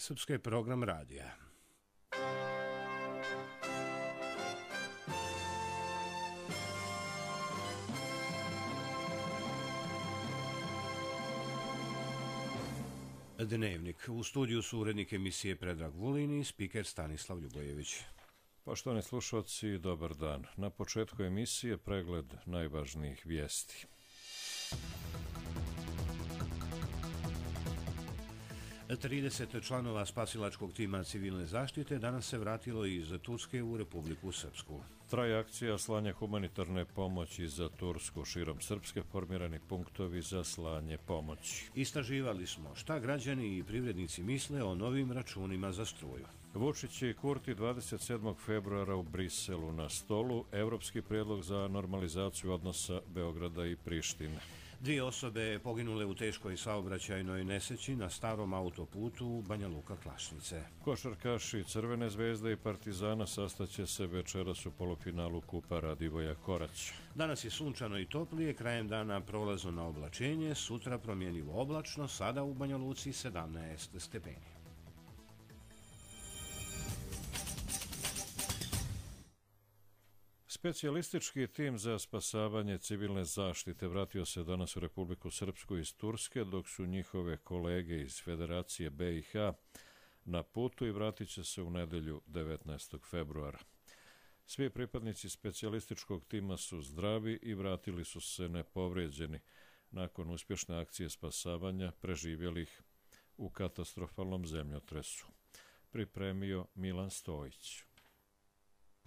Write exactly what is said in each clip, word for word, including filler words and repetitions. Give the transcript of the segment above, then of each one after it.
Srpske program radija. Dnevnik. U studiju su urednik emisije Predrag Vulin i spiker Stanislav Ljubojević. Poštovani slušalci, dobar dan. Na početku emisije pregled najvažnijih vijesti. trideset članova spasilačkog tima civilne zaštite danas se vratilo iz Turske u Republiku Srpsku. Traje akcija slanja humanitarne pomoći za Tursku. Širom Srpske formirani punktovi za slanje pomoći. Istraživali smo šta građani i privrednici misle o novim računima za struju. Vučić i Kurti dvadeset sedmog februara u Briselu na stolu. Evropski prijedlog za normalizaciju odnosa Beograda i Prištine. Dvije osobe poginule u teškoj saobraćajnoj nesreći na starom autoputu u Banja Luka Klašnice. Košarkaši Crvene zvezde i Partizana sastaće se večeras u polufinalu Kupa Radivoja Korać. Danas je sunčano i toplije, krajem dana prolazno na oblačenje, sutra promjenjivo oblačno, sada u Banja Luci sedamnaest stepeni. Specijalistički tim za spasavanje civilne zaštite vratio se danas u Republiku Srpsku iz Turske, dok su njihove kolege iz Federacije B i H na putu i vratit će se u nedelju devetnaestog februara. Svi pripadnici specijalističkog tima su zdravi i vratili su se nepovrijeđeni nakon uspješne akcije spasavanja preživjelih u katastrofalnom zemljotresu. Pripremio Milan Stojić.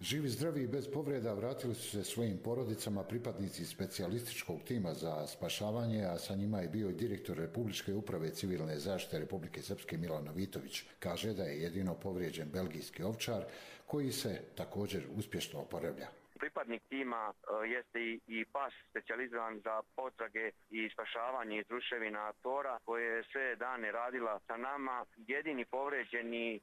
Živi, zdravi i bez povreda vratili su se svojim porodicama pripadnici specijalističkog tima za spašavanje, a sa njima je bio i direktor Republičke uprave civilne zaštite Republike Srpske Milan Novitović. Kaže da je jedino povrijeđen belgijski ovčar koji se također uspješno oporavlja. Pripadnik tima uh, jeste i, i pas specijalizovan za potrage i spašavanje iz ruševina Tora, koje je sve dane radila sa nama. Jedini povređeni uh,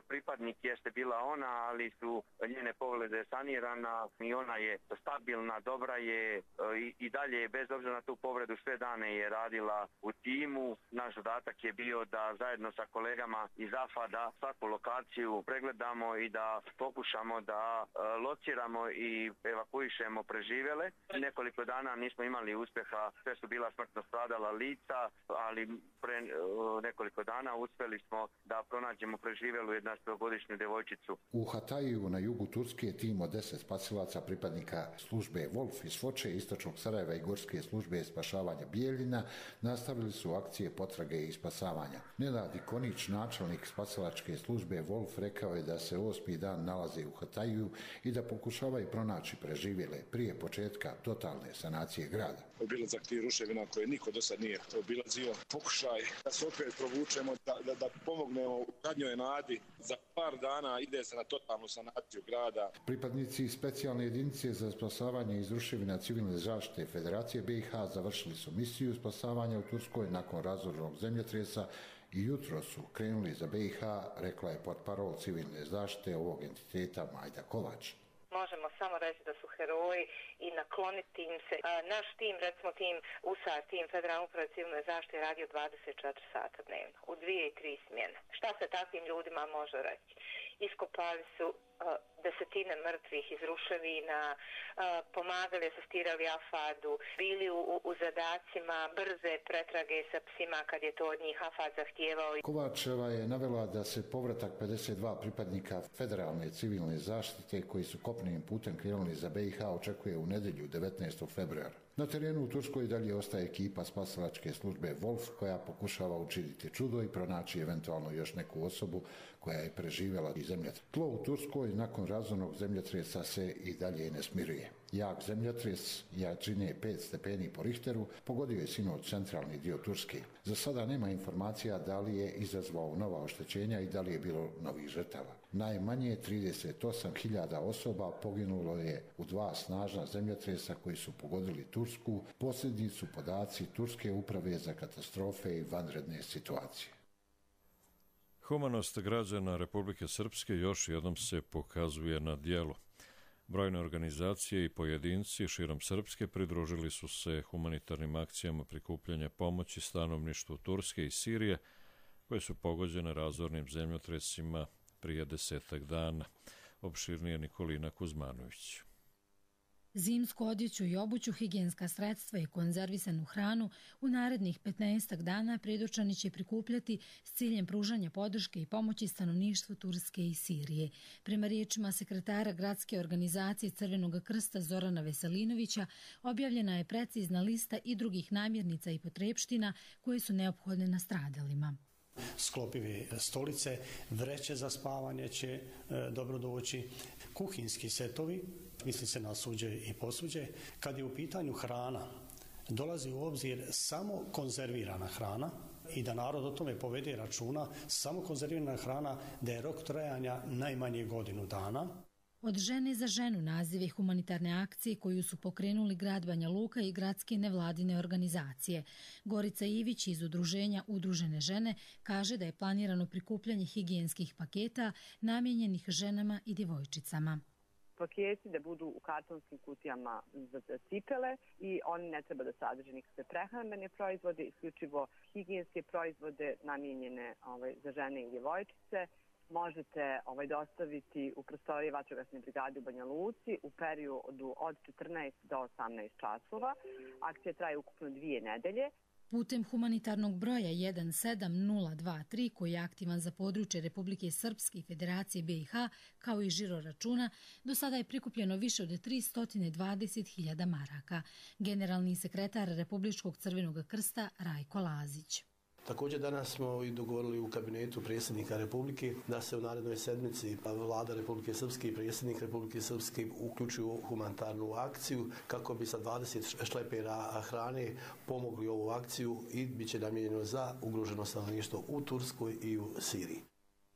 pripadnik jeste bila ona, ali su njene povrede sanirana i ona je stabilna, dobra je uh, i, i dalje, bez obzira na tu povredu, sve dane je radila u timu. Naš zadatak je bio da zajedno sa kolegama iz AFAD-a svaku lokaciju pregledamo i da pokušamo da uh, lociramo i evakuišemo preživjele. Nekoliko dana nismo imali uspjeha, sve su bila smrtno stradala lica, ali pre nekoliko dana uspjeli smo da pronađemo preživjelu jednaestogodišnju djevojčicu. U Hataju na jugu Turske tim od deset spasilaca pripadnika službe Wolf iz Foče, istočnog Sarajeva i gorske službe spašavanja Bijeljina nastavili su akcije potrage i spasavanja. Nenad Ikonić, načelnik spasilačke službe Wolf, rekao je da se osmi dan nalaze u Hataju i da pokušavaju pronaći preživjele prije početka totalne sanacije grada. Obilazak tih ruševina koje niko do sad nije obilazio. Pokušaj da se opet provučemo, da, da, da pomognemo u zadnjoj nadi. Za par dana ide se na totalnu sanaciju grada. Pripadnici specijalne jedinice za spasavanje iz ruševina civilne zaštite Federacije B i H završili su misiju spasavanja u Turskoj nakon razornog zemljotresa i jutro su krenuli za B i H, rekla je portparol civilne zaštite ovog entiteta Majda Kovač. Možemo samo reći da su heroji i nakloniti im se. A, naš tim, recimo tim U S A R, tim Federalne uprave civilne zaštite, radio dvadeset četiri sata dnevno, u dvije i tri smjene. Šta se takvim ljudima može reći? Iskopali su a, desetine mrtvih iz ruševina, a, pomagali, asistirali AFAD-u, bili u, u, u zadacima brze pretrage sa psima kad je to od njih AFAD zahtijevao. Kovačeva je navela da se povratak pedeset dva pripadnika Federalne civilne zaštite koji su kopnenim putem krenuli za B i H očekuje u nedjelju devetnaestog februara. Na terenu u Turskoj dalje ostaje ekipa spasilačke službe Wolf koja pokušava učiniti čudo i pronaći eventualno još neku osobu koja je preživjela iz zemljotresa. Tlo u Turskoj nakon razornog zemljotresa se i dalje ne smiruje. Jak zemljotres jačine pet stepeni po Richteru pogodio je sinoć centralni dio Turske. Za sada nema informacija da li je izazvao nova oštećenja i da li je bilo novih žrtava. Najmanje trideset osam hiljada osoba poginulo je u dva snažna zemljotresa koji su pogodili Tursku. Posljednji su podaci Turske uprave za katastrofe i vanredne situacije. Humanost građana Republike Srpske još jednom se pokazuje na djelu. Brojne organizacije i pojedinci širom Srpske pridružili su se humanitarnim akcijama prikupljanja pomoći stanovništvu Turske i Sirije, koje su pogođene razornim zemljotresima prije desetak dana. Opširnije Nikolina Kuzmanović. Zimsku odjeću i obuću, higijenska sredstva i konzervisanu hranu u narednih petnaestak dana predočani će prikupljati s ciljem pružanja podrške i pomoći stanovništvu Turske i Sirije. Prema riječima sekretara gradske organizacije Crvenog krsta Zorana Veselinovića, objavljena je precizna lista i drugih namirnica i potrepština koje su neophodne nastradalima. Sklopive stolice, vreće za spavanje će e, dobro doći, kuhinski setovi, misli se na suđe i posuđe. Kad je u pitanju hrana, dolazi u obzir samo konzervirana hrana i da narod o tome povede računa, samo konzervirana hrana, da je rok trajanja najmanje godinu dana. Od žene za ženu nazive humanitarne akcije koju su pokrenuli grad Banja Luka i gradske nevladine organizacije. Gorica Ivić iz udruženja Udružene žene kaže da je planirano prikupljanje higijenskih paketa namijenjenih ženama i djevojčicama. Paketi da budu u kartonskim kutijama za cipele i oni ne treba da sadrže nikakve prehrambene proizvode, isključivo higijenske proizvode namijenjene ovaj, za žene i djevojčice. Možete ovaj, dostaviti u prostorije vatrogasne brigade u Banja Luci u periodu od četrnaest do osamnaest časova. Akcija traje ukupno dvije nedelje. Putem humanitarnog broja jedan sedam nula dva tri koji je aktivan za područje Republike Srpske i Federacije B i H kao i žiro računa, do sada je prikupljeno više od tristo dvadeset hiljada maraka. Generalni sekretar Republičkog Crvenog krsta Rajko Lazić. Također danas smo i dogovorili u kabinetu predsjednika Republike da se u narednoj sedmici vlada Republike Srpske i predsjednik Republike Srpske uključuju u humanitarnu akciju kako bi sa dvadeset šlepera hrane pomogli ovu akciju i bit će namijenjeno za ugroženo stanovništvo u Turskoj i u Siriji.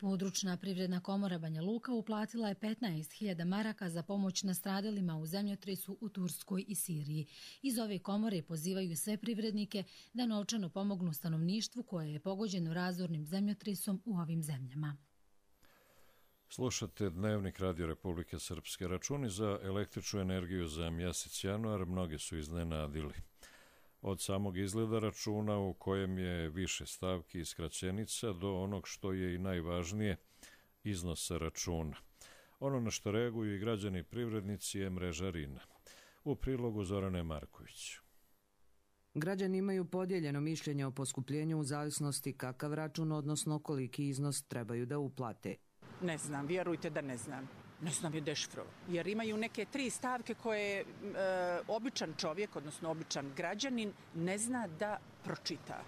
Područna privredna komora Banja Luka uplatila je petnaest hiljada maraka za pomoć nastradalima u zemljotresu u Turskoj i Siriji. Iz ove komore pozivaju sve privrednike da novčano pomognu stanovništvu koje je pogođeno razornim zemljotresom u ovim zemljama. Slušate Dnevnik Radio Republike Srpske. Računi za električnu energiju za mjesec januar mnoge su iznenadili. Od samog izgleda računa u kojem je više stavki i skraćenica do onog što je i najvažnije, iznosa računa. Ono na što reaguju i građani i privrednici je mreža RINA. U prilogu Zorane Marković. Građani imaju podijeljeno mišljenje o poskupljenju u zavisnosti kakav račun, odnosno koliki iznos trebaju da uplate. Ne znam, vjerujte da ne znam. Ne znam je dešifro, jer imaju neke tri stavke koje e, običan čovjek, odnosno običan građanin, ne zna da pročita.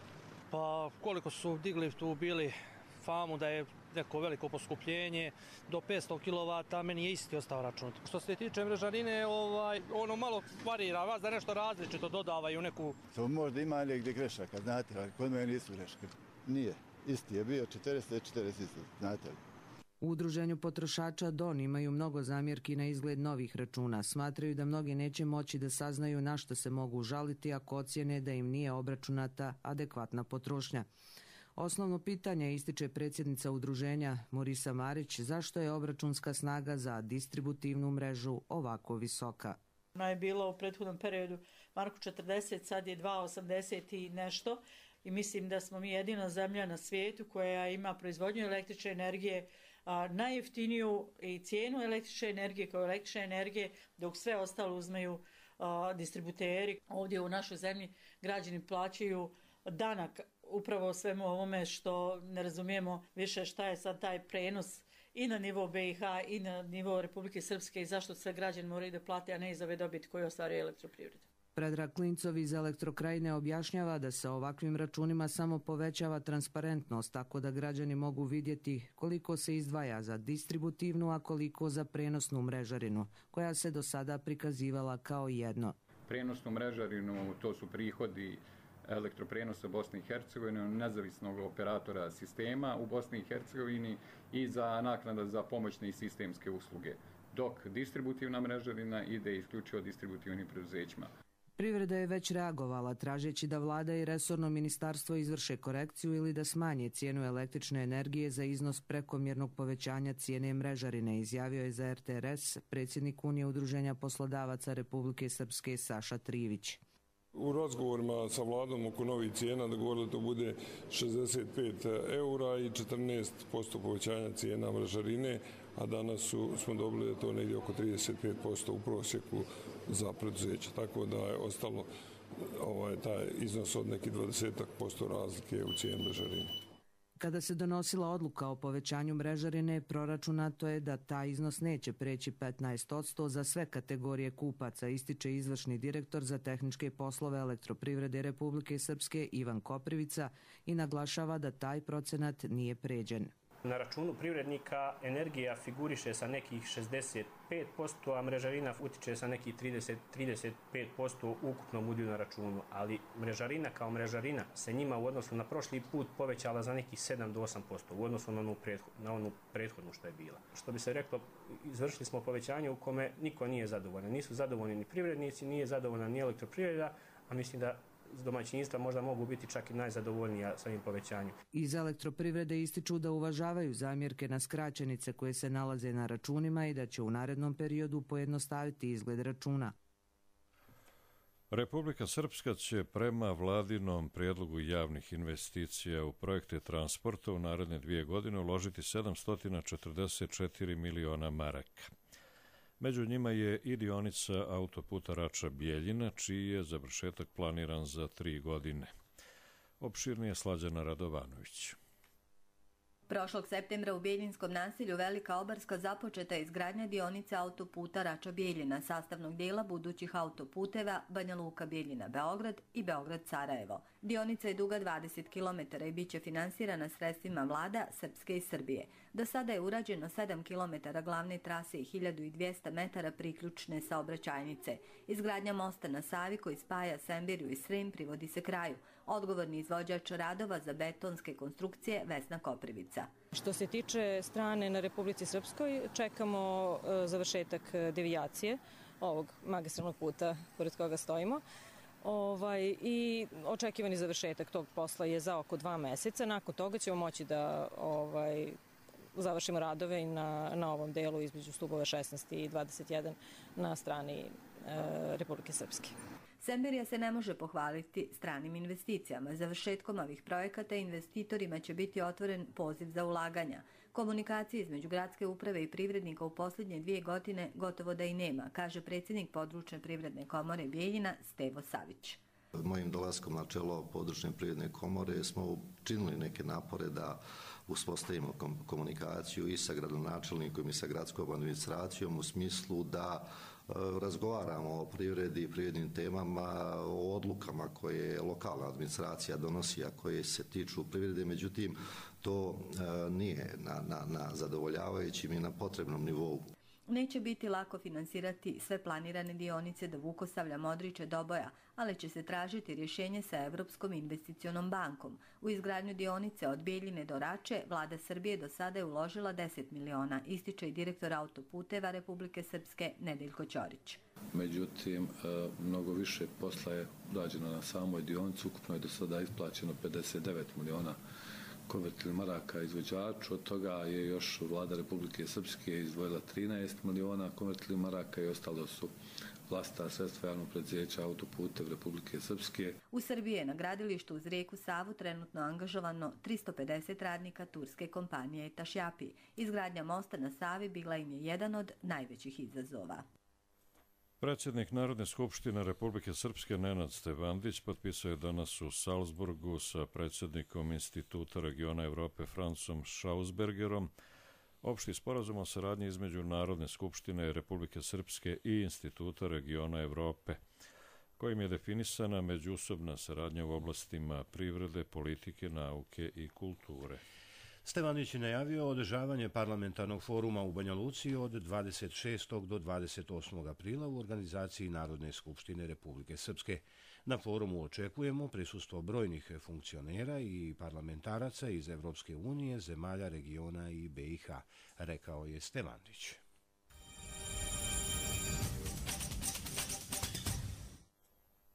Pa koliko su digli tu bili famu da je neko veliko poskupljenje, do petsto kilovata, meni je isti ostao račun. Što se tiče mrežarine, ovaj, ono malo varira, vas da nešto različito dodavaju neku... To možda ima negdje grešaka, znate, ali kod mene nisu greške. Nije, isti je bio četrdeset četrdeset, znate li. U Udruženju potrošača D O N imaju mnogo zamjerki na izgled novih računa. Smatraju da mnogi neće moći da saznaju na što se mogu žaliti ako ocjene da im nije obračunata adekvatna potrošnja. Osnovno pitanje ističe predsjednica udruženja Morisa Marić, zašto je obračunska snaga za distributivnu mrežu ovako visoka. Ona je bila u prethodnom periodu marku četrdeset, sad je dva osamdeset i nešto i mislim da smo mi jedina zemlja na svijetu koja ima proizvodnju električne energije a, najjeftiniju i cijenu električne energije kao električne energije, dok sve ostalo uzmeju a, distributeri. Ovdje u našoj zemlji građani plaćaju danak upravo svemu ovome što ne razumijemo više šta je sad taj prenos i na nivo B i H i na nivo Republike Srpske i zašto sve građani moraju da plate, a ne iz ove dobiti koju ostvaruje elektroprivreda. Predrag Klincov iz Elektrokrajine objašnjava da se ovakvim računima samo povećava transparentnost, tako da građani mogu vidjeti koliko se izdvaja za distributivnu, a koliko za prenosnu mrežarinu, koja se do sada prikazivala kao jedno. Prenosnu mrežarinu, to su prihodi elektroprenosa Bosne i Hercegovine, nezavisnog operatora sistema u Bosni i Hercegovini i za naknada za pomoćne i sistemske usluge, dok distributivna mrežarina ide isključivo distributivnim preduzećima. Privreda je već reagovala tražeći da vlada i resorno ministarstvo izvrše korekciju ili da smanje cijenu električne energije za iznos prekomjernog povećanja cijene mrežarine, izjavio je za R T R S predsjednik Unije udruženja poslodavaca Republike Srpske Saša Trivić. U razgovorima sa vladom oko novih cijena dogovorili da to bude šezdeset pet eura i četrnaest posto povećanja cijena mrežarine, a danas su, smo dobili da to negdje oko trideset pet posto u prosjeku za preduzeće. Tako da je ostalo ovaj, taj iznos od nekih dvadeset posto razlike u cijeni mrežarine. Kada se donosila odluka o povećanju mrežarine, proračunato je da taj iznos neće preći petnaest posto za sve kategorije kupaca, ističe izvršni direktor za tehničke poslove Elektroprivrede Republike Srpske Ivan Koprivica i naglašava da taj procenat nije pređen. Na računu privrednika energija figuriše sa nekih šezdeset pet posto, a mrežarina utiče sa nekih trideset do trideset pet posto u ukupnom udjelu na računu, ali mrežarina kao mrežarina se njima u odnosu na prošli put povećala za nekih sedam do osam posto u odnosu na onu, pretho, na onu prethodnu što je bila. Što bi se reklo, izvršili smo povećanje u kome niko nije zadovoljan. Nisu zadovoljni ni privrednici, nije zadovoljna ni elektroprivreda, a mislim da domaćinstva možda mogu biti čak i najzadovoljnija sa ovim povećanjem. Iz Elektroprivrede ističu da uvažavaju zamjerke na skraćenice koje se nalaze na računima i da će u narednom periodu pojednostaviti izgled računa. Republika Srpska će prema vladinom prijedlogu javnih investicija u projekte transporta u naredne dvije godine uložiti sedamsto četrdeset četiri miliona maraka. Među njima je i dionica autoputa Rača-Bjeljina, čiji je završetak planiran za tri godine. Opširnije Slađana Radovanović. Prošlog septembra u Bjeljinskom naselju Velika Obarska započeta je izgradnja dionice autoputa Rača-Bjeljina, sastavnog dijela budućih autoputeva Banja Luka-Bjeljina-Beograd i Beograd-Sarajevo. Dionica je duga dvadeset kilometara i bit će finansirana sredstvima vlada Srpske i Srbije. Do sada je urađeno sedam kilometara glavne trase i hiljadu dvjesto metara priključne saobraćajnice. Izgradnja mosta na Savi koji spaja Semberiju i Srem privodi se kraju. Odgovorni izvođač radova za betonske konstrukcije Vesna Koprivica. Što se tiče strane na Republici Srpskoj, čekamo završetak devijacije ovog magistralnog puta pored koga stojimo. Ovaj, i očekivani završetak tog posla je za oko dva meseca. Nakon toga ćemo moći da ovaj, završimo radove i na, na ovom delu između stubova šesnaest i dvadeset jedan na strani e, Republike Srpske. Semberija se ne može pohvaliti stranim investicijama. Završetkom ovih projekata investitorima će biti otvoren poziv za ulaganja. Komunikacije između gradske uprave i privrednika u posljednje dvije godine gotovo da i nema, kaže predsjednik područne privredne komore Bjeljina Stevo Savić. Mojim dolaskom na čelo područne privredne komore smo činili neke napore da uspostavimo komunikaciju i sa gradonačelnikom i sa gradskom administracijom u smislu da razgovaramo o privredi i privrednim temama, o odlukama koje lokalna administracija donosi, a koje se tiču privrede, međutim to nije na, na, na zadovoljavajućim i na potrebnom nivou. Neće biti lako finansirati sve planirane dionice do Vukosavlja, Modriče, Doboja, ali će se tražiti rješenje sa Evropskom investicionom bankom. U izgradnju dionice od Bjeljine do Rače vlada Srbije do sada je uložila deset miliona, ističe i direktor autoputeva Republike Srpske Nedeljko Ćorić. Međutim, mnogo više posla je urađeno na samoj dionici, ukupno je do sada isplaćeno pedeset devet miliona konvertibilnih maraka izvođaču, od toga je još vlada Republike Srpske izdvojila trinaest miliona konvertibilnih maraka i ostalo su vlastita sredstva javnog preduzeća Autoputev Republike Srpske. U Srbiji je na gradilištu uz rijeku Savu trenutno angažovano tristo pedeset radnika turske kompanije Tašjapi. Izgradnja mosta na Savi bila im je jedan od najvećih izazova. Predsjednik Narodne skupštine Republike Srpske Nenad Stevandić potpisao je danas u Salzburgu sa predsjednikom Instituta regiona Evrope Francom Schausbergerom opšti sporazum o saradnji između Narodne skupštine Republike Srpske i Instituta regiona Evrope, kojim je definisana međusobna saradnja u oblastima privrede, politike, nauke i kulture. Stevanić je najavio održavanje parlamentarnog foruma u Banja Luci od dvadeset šestog do dvadeset osmog aprila u organizaciji Narodne skupštine Republike Srpske. Na forumu očekujemo prisustvo brojnih funkcionera i parlamentaraca iz Evropske unije, zemalja regiona i B i H, rekao je Stevanić.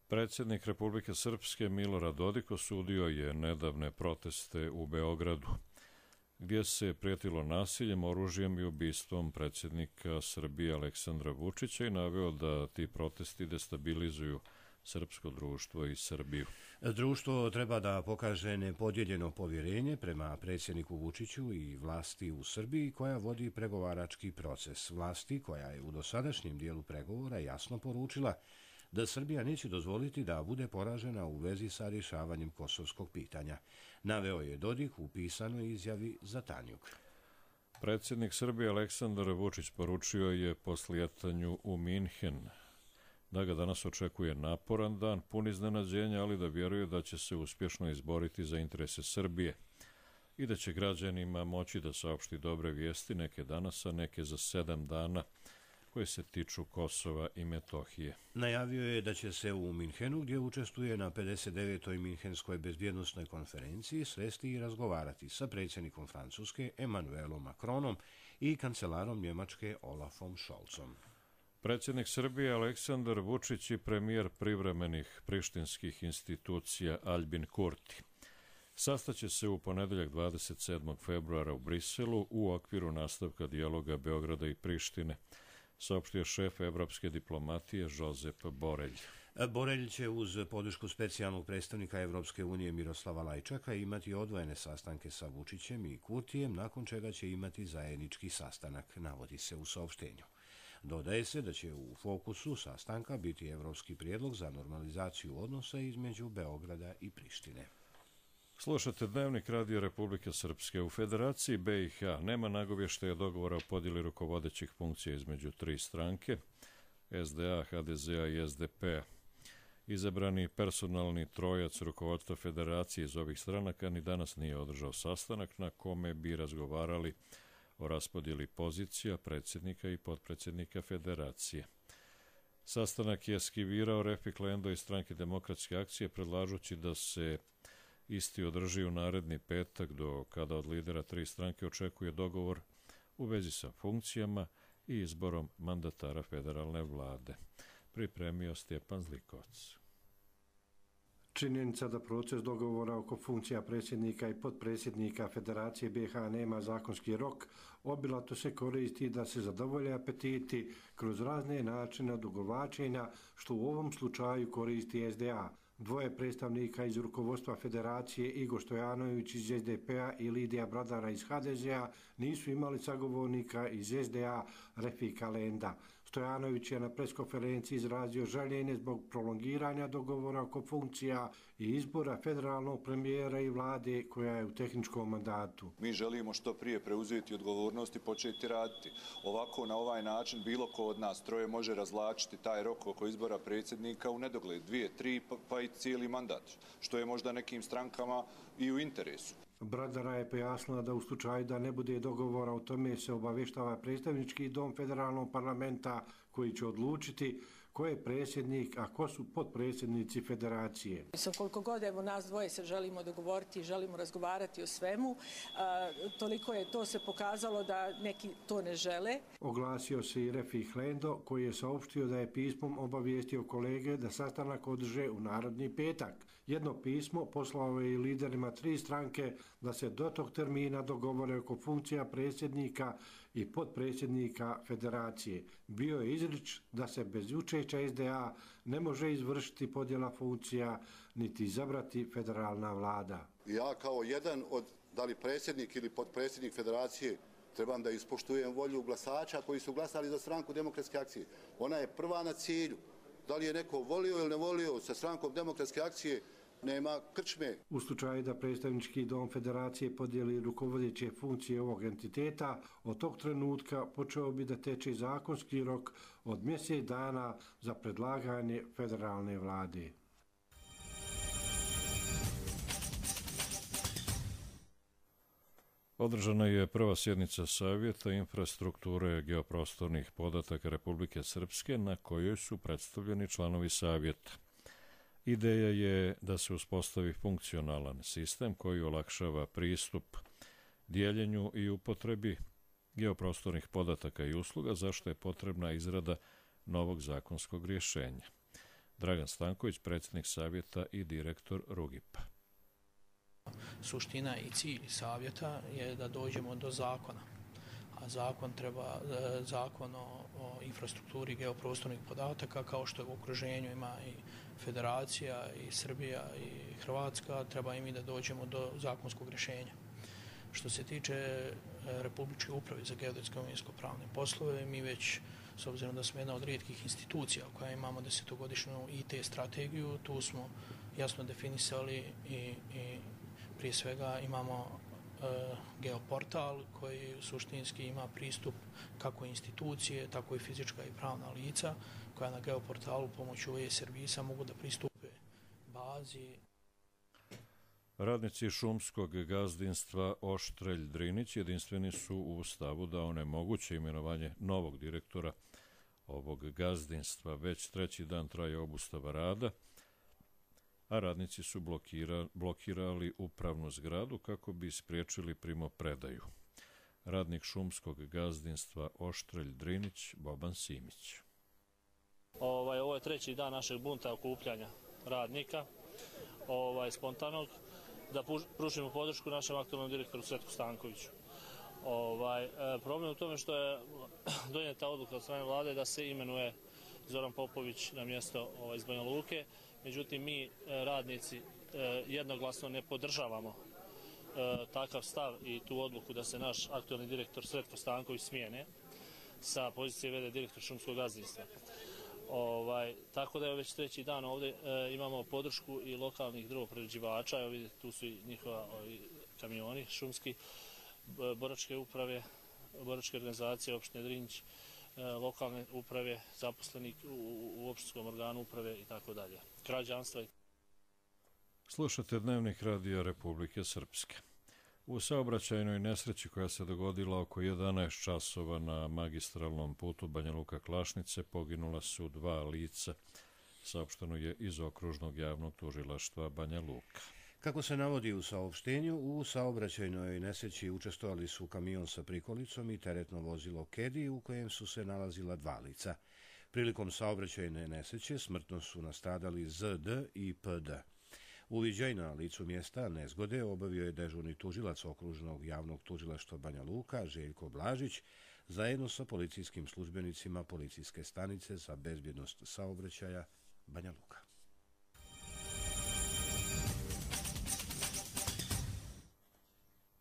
Predsjednik Republike Srpske Milorad Dodik osudio je nedavne proteste u Beogradu, gdje se prijetilo nasiljem, oružjem i ubistvom predsjednika Srbije Aleksandra Vučića i naveo da ti protesti destabilizuju Srpsko društvo i Srbiju. Društvo treba da pokaže nepodijeljeno povjerenje prema predsjedniku Vučiću i vlasti u Srbiji koja vodi pregovarački proces. Vlasti koja je u dosadašnjem dijelu pregovora jasno poručila da Srbija neće dozvoliti da bude poražena u vezi sa rješavanjem kosovskog pitanja. Naveo je Dodik u pisanoj izjavi za Tanjuk. Predsjednik Srbije Aleksandar Vučić poručio je po slijetanju u Minhen da ga danas očekuje naporan dan, pun iznenađenja, ali da vjeruje da će se uspješno izboriti za interese Srbije i da će građanima moći da saopšti dobre vijesti, neke danas, a neke za sedam dana, koje se tiču Kosova i Metohije. Najavio je da će se u Minhenu, gdje učestvuje na pedeset devetoj Minhenskoj bezbjednosnoj konferenciji, sresti i razgovarati sa predsjednikom Francuske Emmanuelom Macronom i kancelarom Njemačke Olafom Scholzom. Predsjednik Srbije Aleksandar Vučić i premijer privremenih prištinskih institucija Albin Kurti sastaće se u ponedeljak dvadeset sedmog februara u Briselu u okviru nastavka dijaloga Beograda i Prištine, saopštio šef evropske diplomatije Josep Borelj. Borelj će uz podršku specijalnog predstavnika Evropske unije Miroslava Lajčaka imati odvojene sastanke sa Vučićem i Kurtijem, nakon čega će imati zajednički sastanak, navodi se u saopštenju. Dodaje se da će u fokusu sastanka biti evropski prijedlog za normalizaciju odnosa između Beograda i Prištine. Slušate Dnevnik Radio Republike Srpske. U Federaciji B i H nema nagovještaja dogovora o podjeli rukovodećih funkcija između tri stranke, S D A, H D Z A i S D P a. Izabrani personalni trojac rukovodstva Federacije iz ovih stranaka ni danas nije održao sastanak na kome bi razgovarali o raspodjeli pozicija predsjednika i potpredsjednika Federacije. Sastanak je eskivirao Refik Lendo iz Stranke demokratske akcije, predlažući da se isti održi u naredni petak, do kada od lidera tri stranke očekuje dogovor u vezi sa funkcijama i izborom mandatara federalne vlade. Pripremio Stjepan Zlikovac. Činjenica da proces dogovora oko funkcija predsjednika i potpredsjednika Federacije B i H nema zakonski rok, obilato se koristi da se zadovolje apetiti kroz razne načine odugovlačenja, što u ovom slučaju koristi S D A. Dvoje predstavnika iz rukovodstva Federacije, Igor Stojanović iz S D P a i Lidija Bradara iz H D Z a, nisu imali sagovornika iz S D A Refika Lenda. Stojanović je na preskonferenciji izrazio žaljenje zbog prolongiranja dogovora oko funkcija i izbora federalnog premijera i vlade koja je u tehničkom mandatu. Mi želimo što prije preuzeti odgovornost i početi raditi. Ovako, na ovaj način, bilo ko od nas troje može razvlačiti taj rok oko izbora predsjednika u nedogled, dvije, tri, pa i cijeli mandat, što je možda nekim strankama i u interesu. Bradara je pojasnila da u slučaju da ne bude dogovora o tome se obavještava predstavnički dom federalnog parlamenta koji će odlučiti ko je predsjednik, a ko su potpredsjednici Federacije. Sa koliko god evo nas dvoje se želimo dogovoriti i želimo razgovarati o svemu, a, toliko je to se pokazalo da neki to ne žele. Oglasio se i Refik Lendo koji je saopštio da je pismom obavijestio kolege da sastanak održe u narodni petak. Jedno pismo poslao je i liderima tri stranke da se do tog termina dogovore oko funkcija predsjednika i potpredsjednika Federacije. Bio je izrič da se bez učešća S D A ne može izvršiti podjela funkcija niti izabrati federalna vlada. Ja kao jedan od, da li predsjednik ili potpredsjednik Federacije, trebam da ispoštujem volju glasača koji su glasali za stranku demokratske akcije. Ona je prva na cilju. Da li je neko volio ili ne volio sa strankom demokratske akcije, nema krčme. U slučaju da predstavnički dom Federacije podijeli rukovodeće funkcije ovog entiteta, od tog trenutka počeo bi da teče zakonski rok od mjesec dana za predlaganje federalne vlade. Održana je prva sjednica Savjeta infrastrukture geoprostornih podataka Republike Srpske, na kojoj su predstavljeni članovi Savjeta. Ideja je da se uspostavi funkcionalan sistem koji olakšava pristup dijeljenju i upotrebi geoprostornih podataka i usluga, za što je potrebna izrada novog zakonskog rješenja. Dragan Stanković, predsjednik Savjeta i direktor Rugipa. Suština i cilj Savjeta je da dođemo do zakona. zakon treba zakon o, o infrastrukturi geoprostornih podataka, kao što je u okruženju ima i Federacija i Srbija i Hrvatska, treba i mi da dođemo do zakonskog rješenja. Što se tiče Republičke uprave za geodetske imovinsko-pravne poslove, mi već, s obzirom da smo jedna od rijetkih institucija koja imamo desetogodišnju I T strategiju, tu smo jasno definisali i, i prije svega imamo e, geoportal koji suštinski ima pristup kako institucije, tako i fizička i pravna lica koja na geoportalu pomoću e-servisa mogu da pristupe bazi. Radnici šumskog gazdinstva Oštrelj Drinić jedinstveni su u stavu da onemoguće imenovanje novog direktora ovog gazdinstva. Već treći dan traje obustava rada, a radnici su blokira, blokirali upravnu zgradu kako bi spriječili primopredaju. Radnik šumskog gazdinstva Oštrelj Drinić Boban Simić. Ovaj, ovo je treći dan našeg bunta okupljanja radnika, ovaj, spontanog, da pružimo podršku našem aktualnom direktoru Sretku Stankoviću. Ovaj, problem u tome što je donijeta odluka od strane vlade da se imenuje Zoran Popović na mjesto ovaj, iz Banja Luke. Međutim, mi radnici jednoglasno ne podržavamo takav stav i tu odluku da se naš aktualni direktor Sretko Stanković smijene sa pozicije v d direktor šumskog gazdinstva. Ovaj, tako da je već treći dan ovdje e, imamo podršku i lokalnih drvoprerađivača, evo vidite tu su i njihova ovi, kamioni šumski, boračke uprave, boračke organizacije opštine Drinić, e, lokalne uprave, zaposlenih u, u opštinskom organu uprave i tako dalje. Građanstva. Slušate Dnevnik radija Republike Srpske. U saobraćajnoj nesreći koja se dogodila oko jedanaest časova na magistralnom putu Banja Luka-Klašnice poginula su dva lica. Saopšteno je iz okružnog javnog tužilaštva Banja Luka. Kako se navodi u saopštenju, u saobraćajnoj nesreći učestvovali su kamion sa prikolicom i teretno vozilo Kedi u kojem su se nalazila dva lica. Prilikom saobraćajne nesreće smrtno su nastradali Z D i P D. Uviđaj na licu mjesta nezgode obavio je dežurni tužilac okružnog javnog tužilaštva Banja Luka Željko Blažić zajedno sa policijskim službenicima policijske stanice za bezbjednost saobraćaja Banja Luka.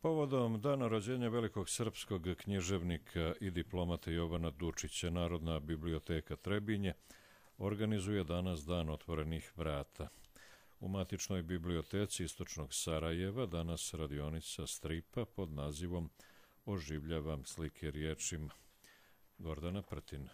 Povodom dana rođenja velikog srpskog književnika i diplomata Jovana Dučića, Narodna biblioteka Trebinje organizuje danas Dan otvorenih vrata. U matičnoj biblioteci Istočnog Sarajeva danas radionica stripa pod nazivom Oživljavam slike riječima. Gordana Prtina.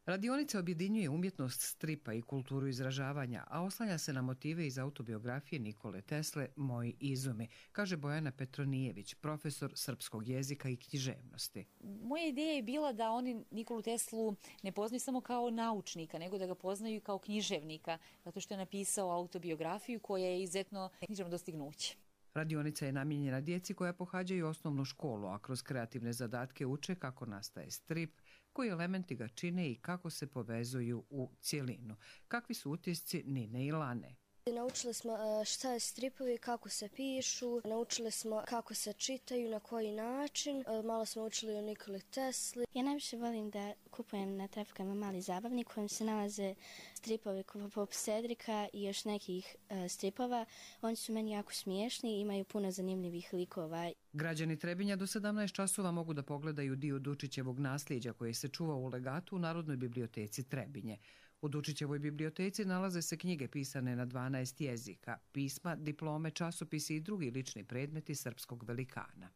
Radionica objedinjuje umjetnost stripa i kulturu izražavanja, a oslanja se na motive iz autobiografije Nikole Tesle Moji izumi, kaže Bojana Petronijević, profesor srpskog jezika i književnosti. Moja ideja je bila da oni Nikolu Teslu ne poznaju samo kao naučnika, nego da ga poznaju kao književnika, zato što je napisao autobiografiju koja je izuzetno književno dostignuće. Radionica je namijenjena djeci koja pohađaju osnovnu školu, a kroz kreativne zadatke uče kako nastaje strip, koji elementi ga čine i kako se povezuju u cjelinu. Kakvi su utisci Nine i Lane? Naučili smo šta je stripovi, kako se pišu, naučili smo kako se čitaju, na koji način, malo smo učili o Nikoli Tesli. Ja najviše volim da kupujem na trafikama mali zabavnik u kojem se nalaze stripovi poput Cedrika i još nekih stripova. Oni su meni jako smiješni i imaju puno zanimljivih likova. Građani Trebinja do sedamnaest časova mogu da pogledaju dio Dučićevog nasljeđa koji se čuva u legatu u Narodnoj biblioteci Trebinje. U Dučićevoj biblioteci nalaze se knjige pisane na dvanaest jezika, pisma, diplome, časopisi i drugi lični predmeti srpskog velikana.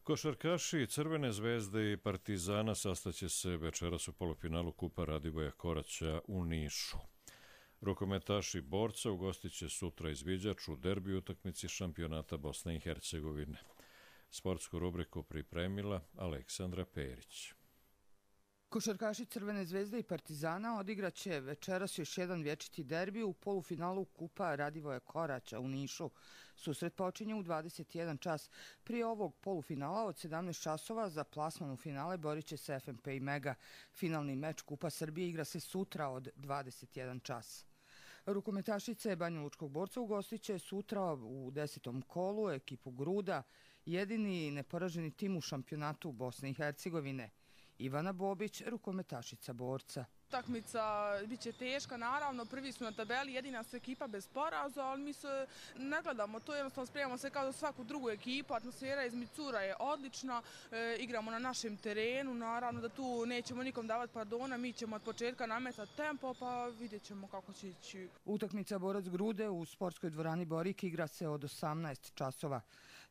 Košarkaši Crvene zvezde i Partizana sastaće se večeras u polufinalu Kupa Radivoja Koraća u Nišu. Rukometaši Borca ugostit će sutra izviđač u derbi utakmici šampionata Bosne i Hercegovine. Sportsku rubriku pripremila Aleksandra Perić. Košarkaši Crvene zvezde i Partizana odigraće večeras još jedan vječiti derbi u polufinalu Kupa Radivoja Koraća u Nišu. Susret počinje u dvadeset jedan čas. Prije ovog polufinala od sedamnaest časova za plasman u finale borit će se F M P i Mega. Finalni meč Kupa Srbije igra se sutra od dvadeset jedan čas. Rukometašice Banjalučkog Borca ugostit će sutra u desetom kolu ekipu Gruda, jedini neporaženi tim u šampionatu Bosne i Hercegovine. Ivana Bobić, rukometašica Borca. Utakmica biće teška, naravno, prvi smo na tabeli, jedina su ekipa bez poraza, ali mi se ne gledamo to, jednostavno spremamo se kao za svaku drugu ekipu, atmosfera između cura je odlična, e, igramo na našem terenu, naravno da tu nećemo nikom davati pardona, mi ćemo od početka nametati tempo, pa vidjet ćemo kako će ići. Utakmica Borac Grude u sportskoj dvorani Borik igra se od osamnaest časova.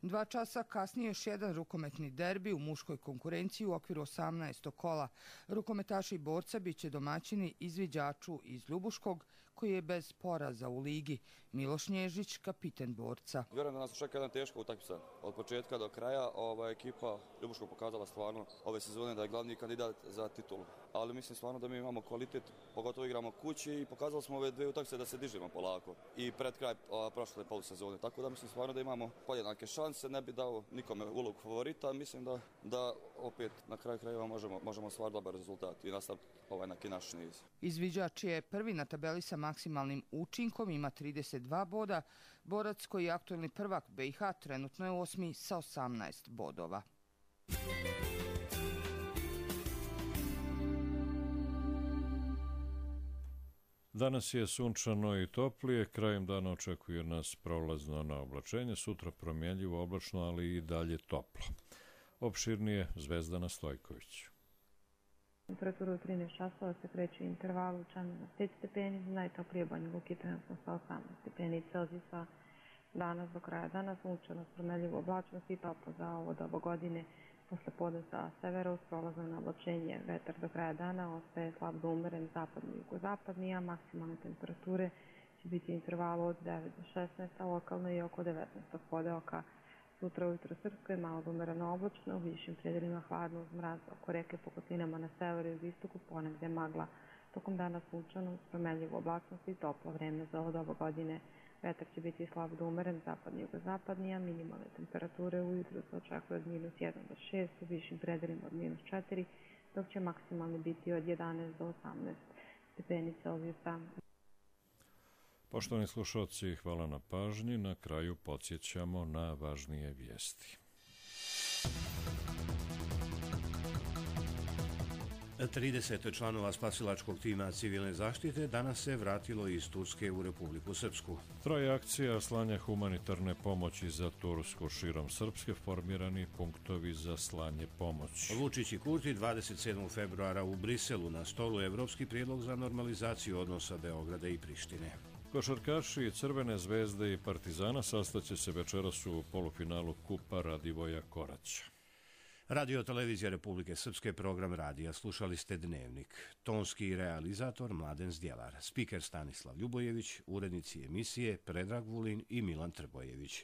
Dva časa kasnije još jedan rukometni derbi u muškoj konkurenciji u okviru osamnaestog kola. Rukometaši Borca biće domaćini Izviđaču iz Ljubuškog, koji je bez poraza u ligi. Miloš Nježić, kapiten Borca. Vjerujem da nas čeka jedna teška utakmica od početka do kraja. Ova ekipa Ljubuškog pokazala stvarno ove sezone da je glavni kandidat za titulu. Ali mislim stvarno da mi imamo kvalitet, pogotovo igramo kući i pokazali smo ove dve utakmice da se dižemo polako i pred kraj prošle polusezone. Tako da mislim stvarno da imamo podjednake šanse, ne bi dao nikome ulogu favorita. Mislim da, da opet na kraju krajeva možemo, možemo stvarno dobar rezultat i nastaviti ovaj neki naš niz. Izviđač je prvi na tabeli sa maksimalnim učinkom, ima trideset dva boda. Borac, koji je aktuelni prvak B i H, trenutno je osmi sa osamnaest bodova. Danas je sunčano i toplije, krajem dana očekuje nas prolazno na oblačenje, sutra promjenljivo oblačno, ali i dalje toplo. Opširnije Zvezdana Stojković. Temperatura u trinaest časova se kreće u intervalu Čanin na pet stepeni, najtoplije Banja Luki trenutno sa osamnaest stepeni Celzijusa. Danas do kraja dana sunčano, promjenljivo oblačnost i toplo za ovo doba godine. Posle podne sa severa uz prolazno na oblačenje, vetar do kraja dana ostaje slab do umeren zapadni i jugozapadni, a maksimalne temperature će biti u intervalu od devet do šesnaest, a lokalno i oko devetnaest podeoka. Sutra ujutro Srpskoj malo umereno oblačno, u višim predelima hladno uz mraz, oko reke po kotlinama na severu i istoku ponegde magla. Tokom dana sunčano, uz promjenljivu oblačnost i toplo vreme za ovo doba godine. Vetar će biti slab do umeren, zapadni i jugozapadni, a minimalne temperature ujutro se očekuje od minus jedan do šest, u višim predelima od minus četiri, dok će maksimalni biti od jedanaest do osamnaest stepeni Celzijusa. Poštovani slušalci, hvala na pažnji. Na kraju podsjećamo na važnije vijesti. trideset članova spasilačkog tima civilne zaštite danas se vratilo iz Turske u Republiku Srpsku. Traje akcija slanja humanitarne pomoći za Tursku. Širom Srpske formirani punktovi za slanje pomoći. Vučić i Kurti dvadeset sedmog februara u Briselu na stolu evropski prijedlog za normalizaciju odnosa Beograda i Prištine. Košarkaši Crvene zvezde i Partizana sastaće se večeras u polufinalu Kupa Radivoja Koraća. Radio Televizija Republike Srpske, program radija. Slušali ste Dnevnik. Tonski realizator Mladen Zdjelar, spiker Stanislav Ljubojević, urednici emisije Predrag Vulin i Milan Trbojević.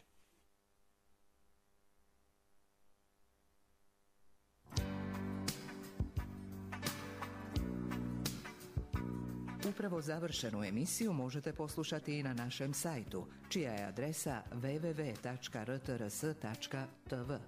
Upravo završenu emisiju možete poslušati i na našem sajtu, čija je adresa w w w tačka r t r s tačka t v.